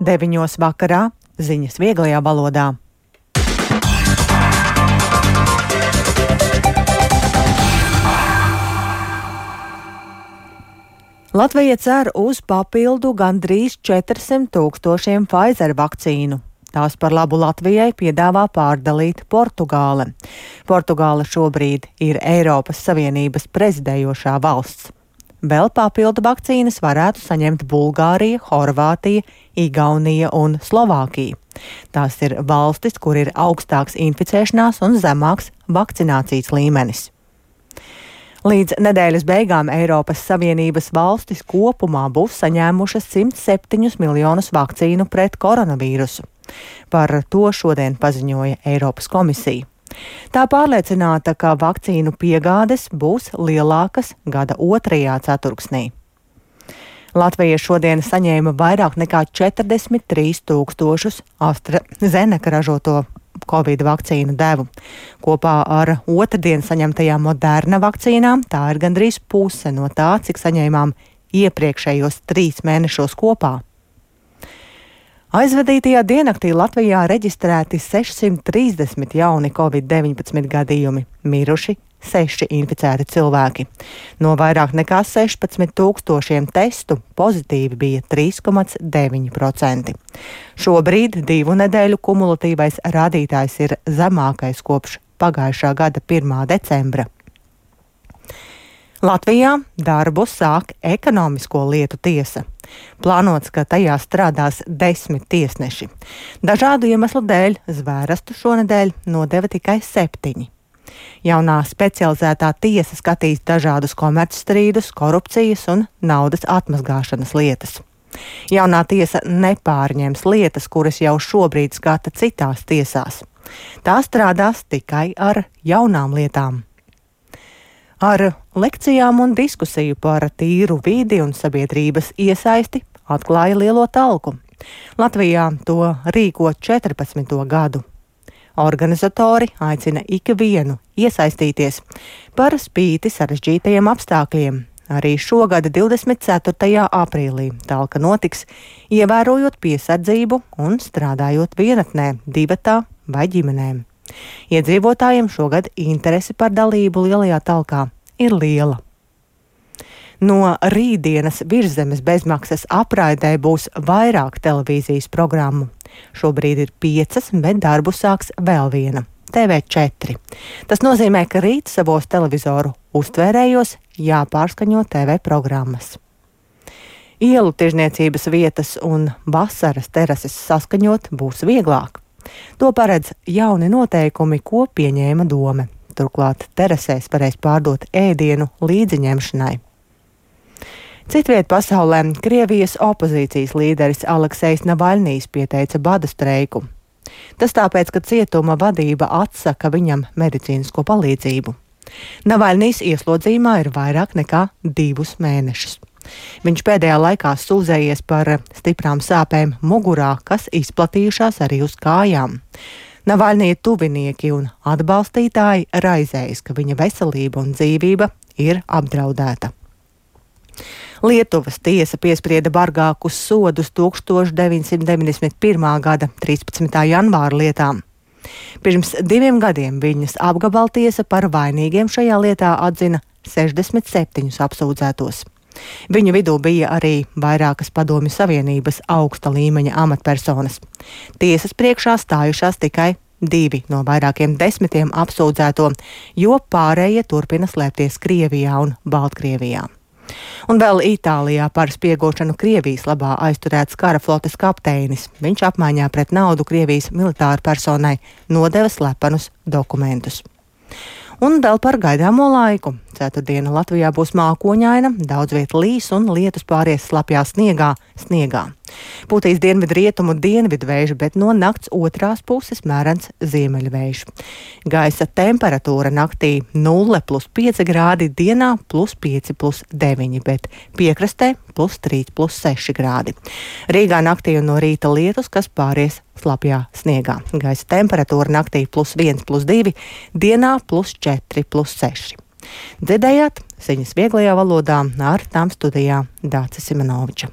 9 vakarā ziņas vieglajā valodā. Latvija cer uz papildu gandrīz 400,000 Pfizer vakcīnu. Tās par labu Latvijai piedāvā pārdalīt Portugāle. Portugāle šobrīd ir Eiropas Savienības prezidējošā valsts. Vēl papildu vakcīnas varētu saņemt Bulgārija, Horvātija, Igaunija un Slovākija. Tās ir valstis, kur ir augstāks inficēšanās un zemāks vakcinācijas līmenis. Līdz nedēļas beigām Eiropas Savienības valstis kopumā būs saņēmušas 107 miljonus vakcīnu pret koronavīrusu. Par to šodien paziņoja Eiropas komisija. Tā pārliecināta, ka vakcīnu piegādes būs lielākas gada otrajā ceturksnī. Latvija šodien saņēma vairāk nekā 43,000 AstraZeneca ražoto Covid vakcīnu devu. Kopā ar otrdien saņemtajām Moderna vakcīnām tā ir gandrīz puse no tā, cik saņēmām iepriekšējos 3 mēnešos kopā. Aizvadītajā diennaktī Latvijā reģistrēti 630 jauni Covid-19 gadījumi, miruši 6 inficēti cilvēki. No vairāk nekā 16,000 testu pozitīvi bija 3,9%. Šobrīd 2 nedēļu kumulatīvais rādītājs ir zemākais kopš pagājušā gada 1. decembra. Latvijā darbu sāk ekonomisko lietu tiesa. Plānots, ka tajā strādās 10 tiesneši. Dažādu iemeslu dēļ Zvērestu šonedēļ nodeva tikai 7. Jaunā specializētā tiesa skatīs dažādus komercstrīdus, korupcijas un naudas atmazgāšanas lietas. Jaunā tiesa nepārņems lietas, kuras jau šobrīd skata citās tiesās. Tā strādās tikai ar jaunām lietām. Ar lekcijām un diskusiju par tīru vidi un sabiedrības iesaisti atklāja lielo talku. Latvijā to rīko 14. gadu. Organizatori aicina ikvienu iesaistīties par spīti sarežģītajiem apstākļiem. Arī šogad 24. aprīlī talka notiks, ievērojot piesardzību un strādājot vienatnē, divatā vai ģimenēm. Iedzīvotājiem šogad interese par dalību lielajā talkā ir liela. No rītdienas Virszemes bezmaksas apraidē būs vairāk televīzijas programmu. Šobrīd ir 5, bet darbu sāks vēl viena – TV4. Tas nozīmē, ka rīt savos televizoru uztvērējos jāpārskaņo TV programmas. Ielu tirzniecības vietas un vasaras terases saskaņot būs vieglāk. To paredz jauni noteikumi, ko pieņēma Dome. Turklāt terasēs varēs pārdot ēdienu līdziņemšanai. Citviet pasaulē Krievijas opozīcijas līderis Aleksejs Navaļnijs pieteica bada streiku. Tas tāpēc, ka cietuma vadība atsaka viņam medicīnisko palīdzību. Navaļnijs ieslodzījumā ir vairāk nekā 2 mēnešus. Viņš pēdējā laikā sūdzējies par stiprām sāpēm mugurā, kas izplatījušās arī uz kājām. Navaļnija tuvinieki un atbalstītāji raizējas, ka viņa veselība un dzīvība ir apdraudēta. Lietuvas tiesa piesprieda bargākus sodus 1991. gada 13. janvāra lietām. Pirms 2 gadiem viņas apgabaltiesa par vainīgiem šajā lietā atzina 67 apsūdzētos. Viņu vidū bija arī vairākas Padomju Savienības augsta līmeņa amatpersonas. Tiesas priekšā stājušās tikai 2 no vairākiem 10 apsūdzēto, jo pārējie turpina slēpties Krievijā un Baltkrievijā. Un vēl Itālijā par spiegošanu Krievijas labā aizturēts kara flotes kapteinis. Viņš apmaiņā pret naudu Krievijas militāru personai nodeva slepenus dokumentus. Un vēl par gaidāmo laiku. Ceturtdiena Latvijā būs mākoņaina, daudz viet līs un lietus pāries slapjā sniegā. Pūtīs dienvidrietumu dienvidvējš, bet no nakts otrās puses mērens ziemeļvējš. Gaisa temperatūra naktī 0+5 grādi, dienā +5+9, bet piekrastē +3+6 grādi. Rīgā naktī un no rīta lietus, kas pāries slapjā sniegā. Gaisa temperatūra naktī +1+2, dienā +4+6. Dzirdējāt ziņas vieglajā valodā, ar tām studijā Dācis Simonoviča.